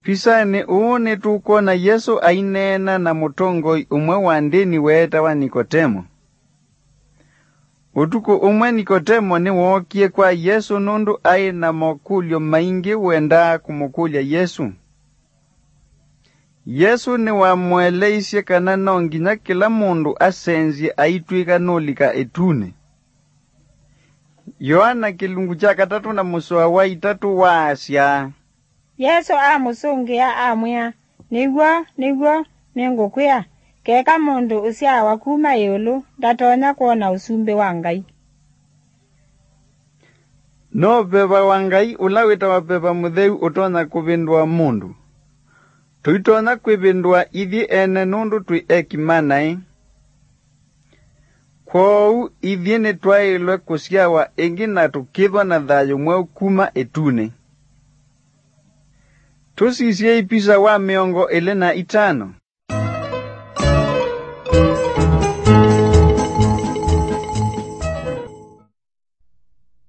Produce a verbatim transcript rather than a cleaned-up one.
Pisanĩ ũũ nĩtũkwona Yesũ aineena na mũtongoi ũmwe wa ndĩni weetawa Nikotemo. Ũtukũ ũmwe Nikotemo nĩwookie kwa Yesũ nũndũ aĩ na mokũlyo maingĩ wendaa kũmũkũlya Yesũ. Yesũ nĩwamũeleisye kana no nginya kĩla mũndũ asenzye aitw'ĩka nũlika ĩtunĩ. Yoana kĩlungu kya katatũ na mũsoa wa itatũ waasya, Yesũ amũsũngĩa, amwĩa, "Nĩ w'o, nĩ w'o, nĩngũkwĩa, keka mũndũ ũsyaawa kuma ĩũlũ ndatonya kwona ũsumbĩ wa Ngai." No veva wa Ngai ũla wĩtawa veva mũtheu ũtonya kũvĩndũa mũndũ. Tũitonya kwĩvĩndũa ithyĩ ene nũndũ twĩ eki ma naĩ. Kwoou ithyĩ nĩtwaĩlwe kũsyawa ĩngĩ na tũkĩthwa na thayũ mweũ kuma ĩtunĩ. Tũsisyei pisa wa mĩongo ĩlĩ na itano.